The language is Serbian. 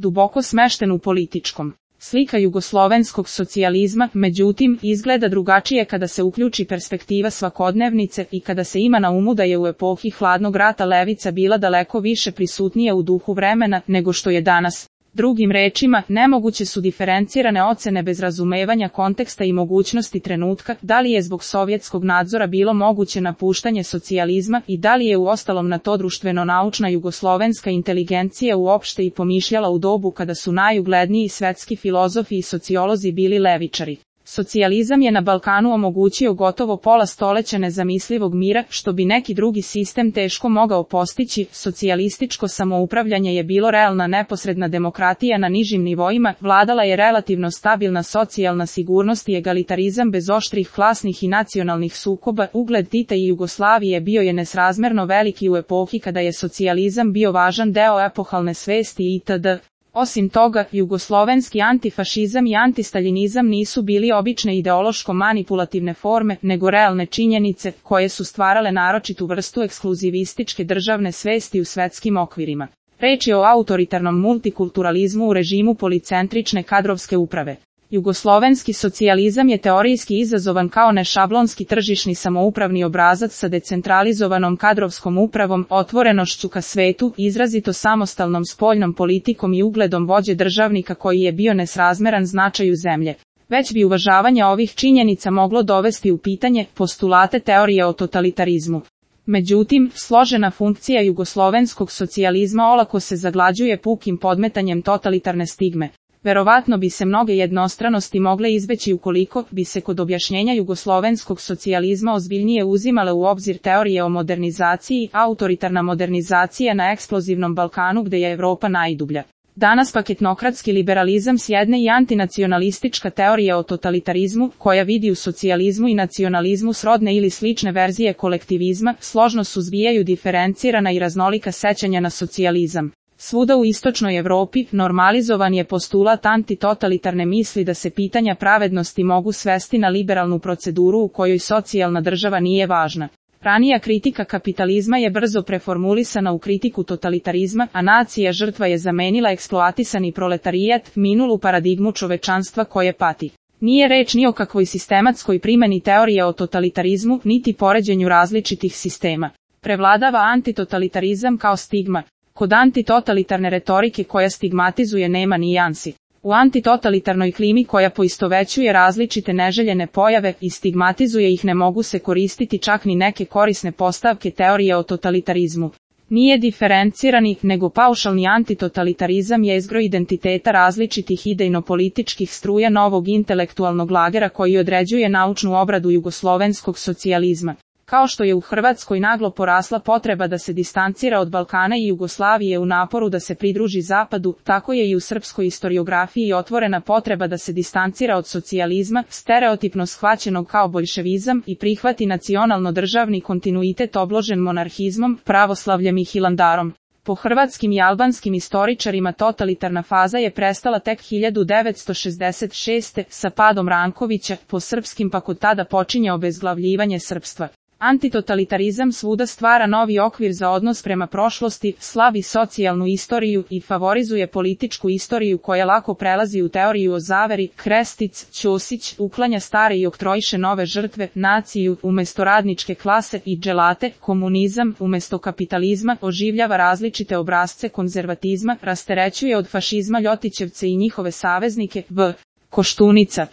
duboko smešten u političkom. Slika jugoslovenskog socijalizma, međutim, izgleda drugačije kada se uključi perspektiva svakodnevnice i kada se ima na umu da je u epohi hladnog rata levica bila daleko više prisutnija u duhu vremena nego što je danas. Drugim rečima, nemoguće su diferencirane ocene bez razumevanja konteksta i mogućnosti trenutka, da li je zbog sovjetskog nadzora bilo moguće napuštanje socijalizma i da li je uostalom na to društveno-naučna jugoslovenska inteligencija uopšte i pomišljala u dobu kada su najugledniji svetski filozofi i sociolozi bili levičari. Socijalizam je na Balkanu omogućio gotovo pola stoleća nezamislivog mira, što bi neki drugi sistem teško mogao postići. Socijalističko samoupravljanje je bilo realna neposredna demokratija na nižim nivoima, vladala je relativno stabilna socijalna sigurnost i egalitarizam bez oštrih klasnih i nacionalnih sukoba. Ugled Tita i Jugoslavije bio je nesrazmerno veliki u epohi kada je socijalizam bio važan deo epohalne svesti itd. Osim toga, jugoslovenski antifašizam i antistaljinizam nisu bili obične ideološko-manipulativne forme, nego realne činjenice, koje su stvarale naročitu vrstu ekskluzivističke državne svesti u svetskim okvirima. Reč je o autoritarnom multikulturalizmu u režimu policentrične kadrovske uprave. Jugoslovenski socijalizam je teorijski izazovan kao nešablonski tržišni samoupravni obrazac sa decentralizovanom kadrovskom upravom, otvorenošću ka svetu, izrazito samostalnom spoljnom politikom i ugledom vođe državnika koji je bio nesrazmeran značaju zemlje. Već bi uvažavanje ovih činjenica moglo dovesti u pitanje postulate teorije o totalitarizmu. Međutim, složena funkcija jugoslovenskog socijalizma olako se zaglađuje pukim podmetanjem totalitarne stigme. Verovatno bi se mnoge jednostranosti mogle izbeći ukoliko bi se kod objašnjenja jugoslovenskog socijalizma ozbiljnije uzimale u obzir teorije o modernizaciji, autoritarna modernizacija na eksplozivnom Balkanu gde je Evropa najdublja. Danas pak etnokratski liberalizam s jedne i antinacionalistička teorija o totalitarizmu, koja vidi u socijalizmu i nacionalizmu srodne ili slične verzije kolektivizma, složno suzbijaju diferencirana i raznolika sećanja na socijalizam. Svuda u istočnoj Evropi normalizovan je postulat antitotalitarne misli da se pitanja pravednosti mogu svesti na liberalnu proceduru u kojoj socijalna država nije važna. Ranija kritika kapitalizma je brzo preformulisana u kritiku totalitarizma, a nacija žrtva je zamenila eksploatisani proletarijat, minulu paradigmu čovečanstva koje pati. Nije reč ni o kakvoj sistematskoj primjeni teorije o totalitarizmu, niti poređenju različitih sistema. Prevladava antitotalitarizam kao stigma. Kod antitotalitarne retorike koja stigmatizuje nema nijansi. U antitotalitarnoj klimi koja poistovećuje različite neželjene pojave i stigmatizuje ih ne mogu se koristiti čak ni neke korisne postavke teorije o totalitarizmu. Nije diferencirani, nego paušalni antitotalitarizam jezgro identiteta različitih idejno-političkih struja novog intelektualnog lagera koji određuje naučnu obradu jugoslovenskog socijalizma. Kao što je u Hrvatskoj naglo porasla potreba da se distancira od Balkana i Jugoslavije u naporu da se pridruži Zapadu, tako je i u srpskoj istoriografiji otvorena potreba da se distancira od socijalizma, stereotipno shvaćenog kao boljševizam, i prihvati nacionalno-državni kontinuitet obložen monarhizmom, pravoslavljem i hilandarom. Po hrvatskim i albanskim istoričarima totalitarna faza je prestala tek 1966. sa padom Rankovića, po srpskim pak od tada počinje obezglavljivanje srpstva. Antitotalitarizam svuda stvara novi okvir za odnos prema prošlosti, slavi socijalnu istoriju i favorizuje političku istoriju koja lako prelazi u teoriju o zaveri. Krestic, Ćosić, uklanja stare i oktroiše nove žrtve, naciju umesto radničke klase i dželate, komunizam umesto kapitalizma, oživljava različite obrazce konzervatizma, rasterećuje od fašizma Ljotićevce i njihove saveznike. V. Koštunica.